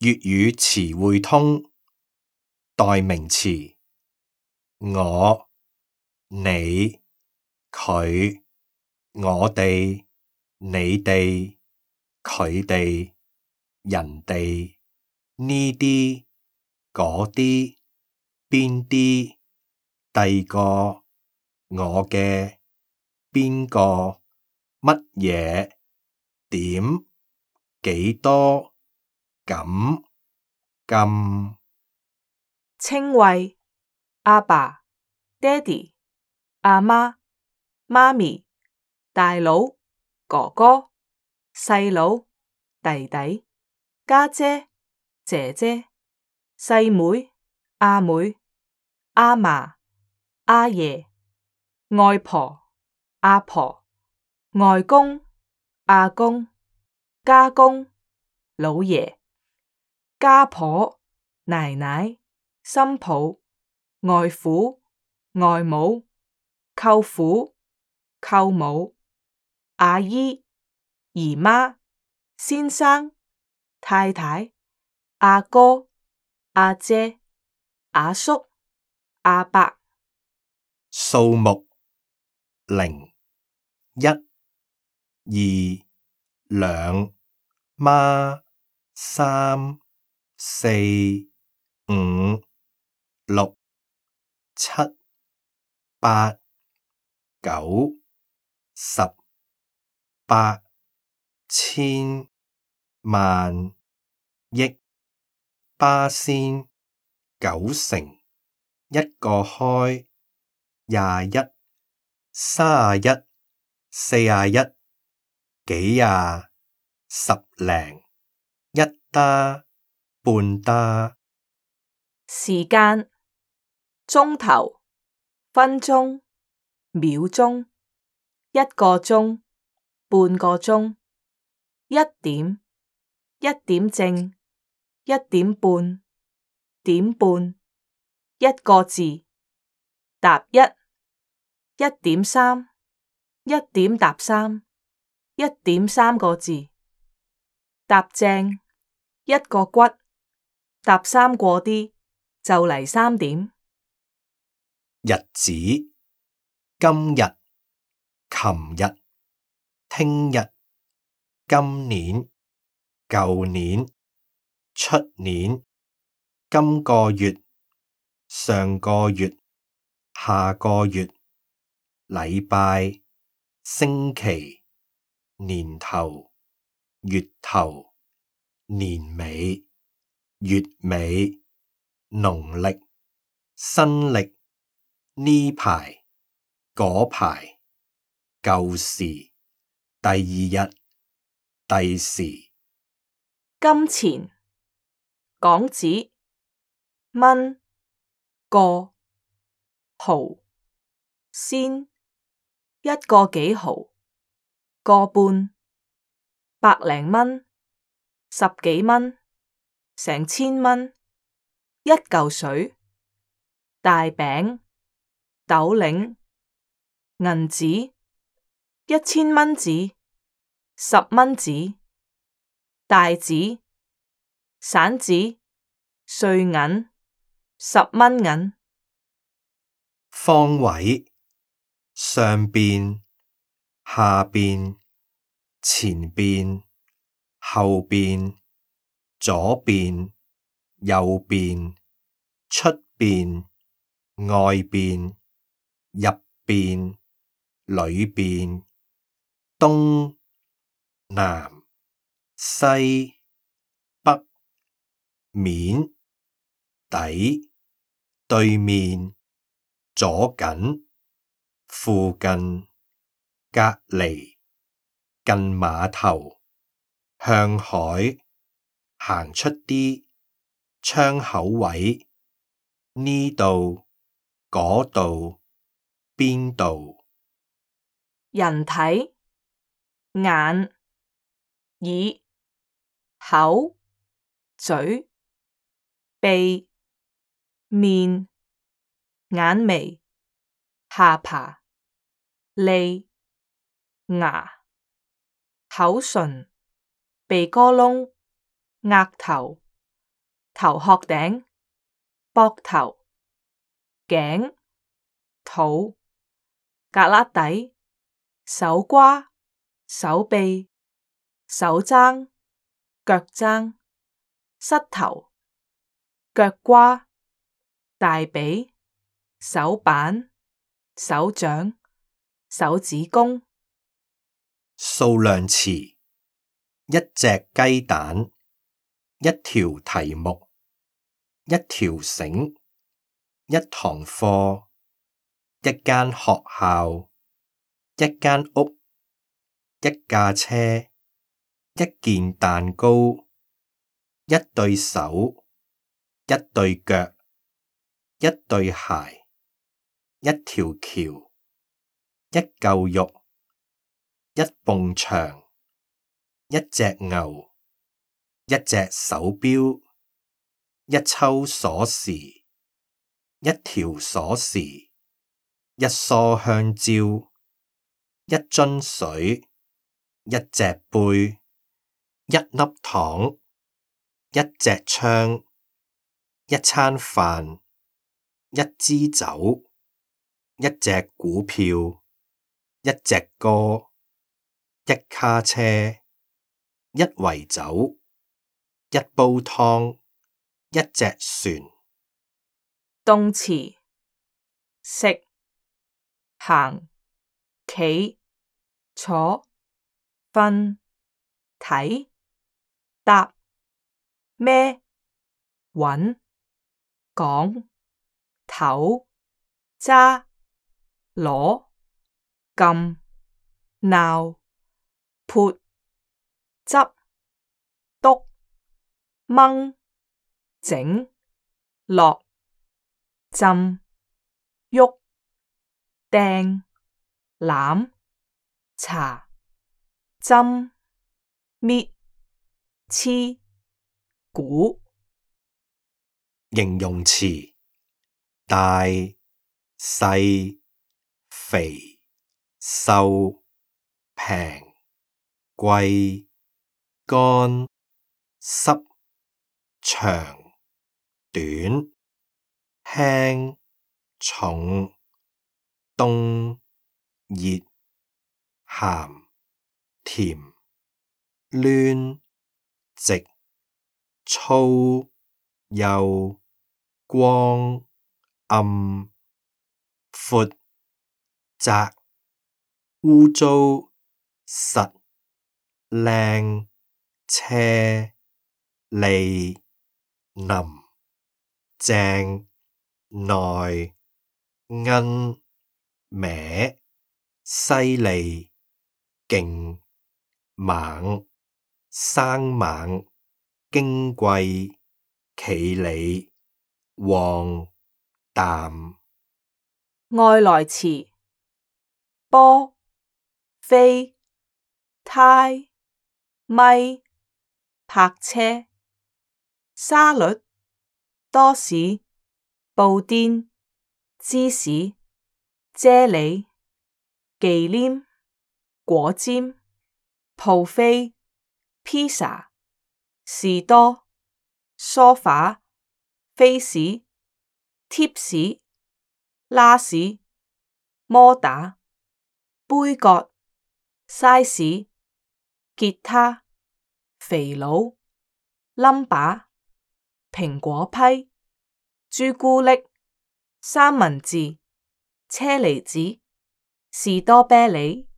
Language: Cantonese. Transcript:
粵語詞彙通代名詞：我、你、佢、我哋、你哋、佢哋、人哋、呢啲、嗰啲、邊啲、第個、我嘅、邊個、乜嘢、點、幾多、咁、咁。稱謂：阿爸、爹哋、阿媽、媽咪、大佬、哥哥、細佬、弟弟、家姐、姐姐、細妹、阿妹、阿嫲、阿爺、外婆、阿婆、外公、阿公、家公、老爺、家婆、奶奶、新抱、外父、外母、舅父、舅母、阿姨、姨媽、先生、太太、阿哥、阿姐、阿叔、阿伯。數目：零、一、二、兩、媽、三、四、五、六、七、八、九、十、百、千、萬、億、巴仙、九成、一個開、21、31、41、幾廿、十零、一打、半打。時間：鐘頭、分鐘、秒鐘、一個鐘、半個鐘、一點、一點正、一點半、點半、一個字、踏一、1.3、1.3、1.3個字、踏正、一個骨、踏3過啲，就嚟3點。日子：今日、琴日、聽日、今年、舊年、出年、今個月、上個月、下個月、禮拜、星期、年頭、月頭、年尾、月尾、農曆、新曆、呢排、嗰排、舊時、第二日、第時。金錢：港紙、蚊、個、毫、仙、一個幾毫、個半、百零蚊、十幾蚊、成千蚊、一嚿水、大餅、斗零、銀紙、1000蚊紙、10蚊紙、大紙、散紙、碎銀、10蚊銀。方位：上邊、下邊、前邊、後邊、左邊、右邊、出邊、外邊、入邊、裏邊、東、南、西、北、面、底、對面、左近、附近、隔離、近碼頭、向海、行出啲、窗口位、呢度、嗰度、邊度。人體：眼、耳、口、嘴、鼻、面、眼眉、下巴、脷、牙、口唇、鼻哥窿、額頭、頭殼頂、膊頭、頸、肚、胳肋底、手瓜、手臂、手踭、腳踭、膝頭、腳瓜、大髀、手板、手掌、手指公。數量詞：一隻雞蛋，一條題目，一條繩，一堂課，一間學校，一間屋，一架車，一件蛋糕，一對手，一對腳，一對鞋，一條橋，一嚿肉，一埲牆，一隻牛，一隻手錶，一抽鎖匙，一條鎖匙，一梳香蕉，一樽水，一隻杯，一粒糖，一隻槍，一餐飯，一支酒，一隻股票，一隻歌，一卡車，一圍酒，一煲湯，一隻船。動詞：食、行、企、坐、瞓、睇、搭、孭、搵、講、唞、揸、攞、撳、鬧、潑、執、篤、掹、整、落、浸、郁、掟、攬、查、針、搣、黐、估。形容詞：大、細、肥、瘦、平、貴、乾、濕、長、短、輕、重、凍、熱、鹹、甜、攣、直、粗、幼、光、暗、闊、窄、污糟、實、靚、斜、利、腍、正、內、奀、歪、犀利、勁、猛、生猛、矜貴、企理、旺、淡。外來詞：波、飛、呔、咪、泊車、沙律、多士、布甸、芝士、啫喱、忌廉、果尖、蒲飛、披薩、士多、梳化、飛士、貼士、拉士、摩打、杯葛、嘥士、吉他、肥佬、冧把、蘋果批、朱古力、三文治、車厘子、士多啤梨。